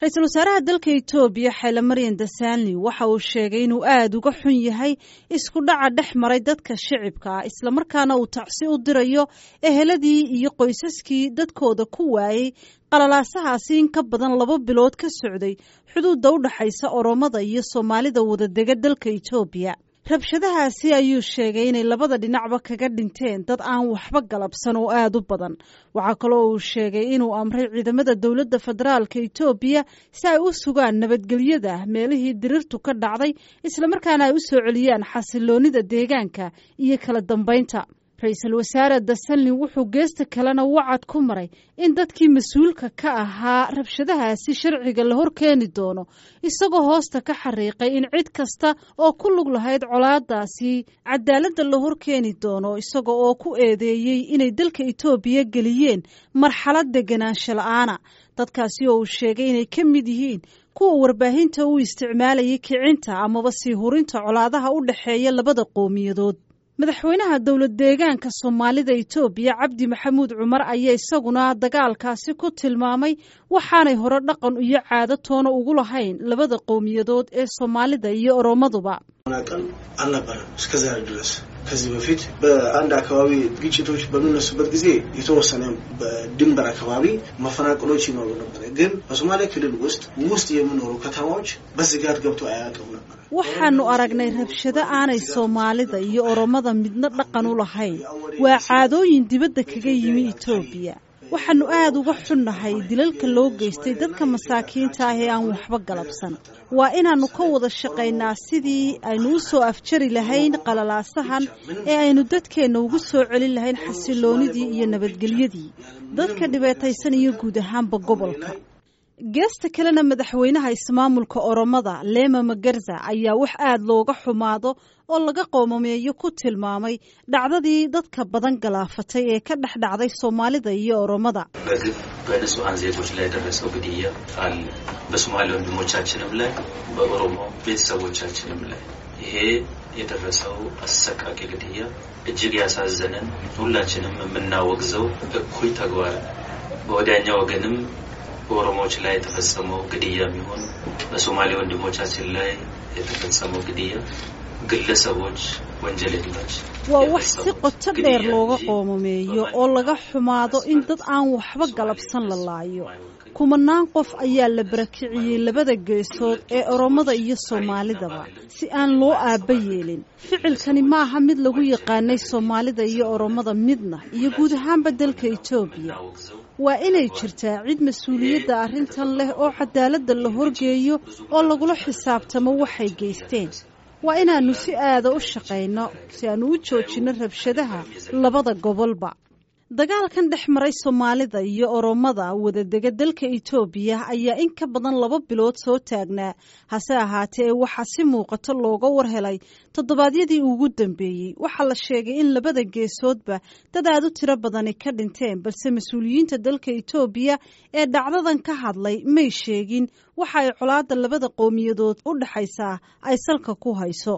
Ra-iisul wasaaraha dalka Itoobiya Xayla Maryan Dasanli waxa uu sheegay inuu aada uga xun yahay isku dhaca dhex maray dadka shicibka ah, islamarkaana uu tacsi u dirayo eheladii iyo qoysaskii dadkooda ku waayey qalalaasahaasi in ka badan 2 bilood ka socday xuduudda u dhexaysa Oromada iyo Soomaalida wadadega dalka Itoobiya. Rabshadahaasi ayuu sheegay inay labada dhinacba kaga dhinteen dad aan waxba galabsan oo aada u badan. Waxaa kaloo uu sheegay inuu amray ciidamada dowladda federaalka Itoobiya si ay u sugaan nabadgelyada meelihii dirirtu ka dhacday, islamarkaana ay u soo celiyaan xasiloonida deegaanka iyo kala dambeynta. Ra-iisul wasaare Dasanlin wuxuu geesta kalena wacad ku maray in dadkii mas-uulka ka ahaa rabshadahaasi sharciga la horkeeni doono, isagoo hoosta ka xariiqay in cid kasta oo ku lug lahayd colaadaasi cadaaladda la horkeeni doono, isaga oo ku eedeeyey inay dalka Itoobiya geliyeen marxalad deganaansho la-aana, dadkaasi oo uu sheegay inay ka mid yihiin kuwa warbaahinta u isticmaalayay kicinta amaba sii hurinta colaadaha u dhexeeya labada qowmiyadood. Madaxweynaha dowlad deegaanka Soomaalida Itoobiya Cabdi Maxamuud Cumar ayaa isaguna dagaalkaasi ku tilmaamay waxaanay hore dhaqan iyo caado toona ugu lahayn labada qowmiyadood ee Soomaalida iyo Oromaduba. አልነበረም እስከዛሬ ድረስ። ከዚህ በፊት በአንድ አካባቢ ግጭቶች በሚነሱበት ጊዜ የተወሰነ በድንበር አካባቢ መፈናቀሎች ይኖሩ ነበር። ግን በሶማሌ ክልል ውስጥ ውስጥ የሚኖሩ ከተማዎች በስጋት ገብቶ አያውቅም ነበር። Waxaanu aragnay rabshado aanay Soomaalida iyo Oromada midna dhaqan u lahayn. Waa caadooyin dibadda kaga yimi Itoobiya. Waxaanu aada uga xunnahay dilalka loo geystay dadka masaakiinta ah ee aan waxba galabsan. Waa inaannu ka wada shaqaynaa sidii aynu u soo afjari lahayn qalalaasahan ee aynu dadkeenna ugu soo celin lahayn xasiloonidii iyo nabadgelyadii dadka dhibaataysan iyo guud ahaanba gobolka. Geesta kalena, madaxweynaha ismaamulka Oromada Lema Magarza ayaa wax aada looga xumaado oo laga qoomameeyo ku tilmaamay dhacdadii dadka badan galaafatay ee ka dhex dhacday Soomaalida iyo Oromada. በግፍ በንጹሐን ዜጎች ላይ የደረሰው ግድያ አለ። በሶማሌ ወንድሞቻችንም ላይ በኦሮሞ ቤተሰቦቻችንም ላይ ይሄ የደረሰው አሰቃቂ ግድያ እጅግ ያሳዘነን ሁላችንም የምናወግዘው እኩይ ተግባር ነው። በወዲያኛው ወገንም በኦሮሞዎች ላይ የተፈጸመው ግድያ የሚሆን በሶማሌ ወንድሞቻችን ላይ የተፈጸመው ግድያ ግለሰቦች፣ ወንጀለኞች Waa wax si qoto dheer looga qoomameeyo oo laga xumaado in dad aan waxba galabsan la laayo. Kumanaan qof ayaa la barakiciyey labada geesood ee Oromada iyo Soomaalidaba si aan loo aabba yeelin. Ficilkani maaha mid lagu yaqaanay Soomaalida iyo Oromada midna iyo guud ahaanba dalka Itoobiya. Waa inay jirtaa cid mas-uuliyadda arrintan leh oo cadaaladda la horgeeyo oo lagula xisaabtamo waxay geysteen. Waa inaannu si aada u shaqayno si aanu u joojinno rabshadaha labada gobolba. Dagaalkan dhex maray Soomaalida iyo Oromada wadadega dalka Itoobiya ayaa in ka badan 2 bilood soo taagnaa, hase ahaatee waxaa si muuqato looga war helay toddobaadyadii ugu dambeeyey. Waxaa la sheegay in labada geesoodba dad aada u tiro badani ka dhinteen, balse mas-uuliyiinta dalka Itoobiya ee dhacdadan ka hadlay may sheegin waxa ay colaadda labada qowmiyadood u dhexaysaa ay salka ku hayso.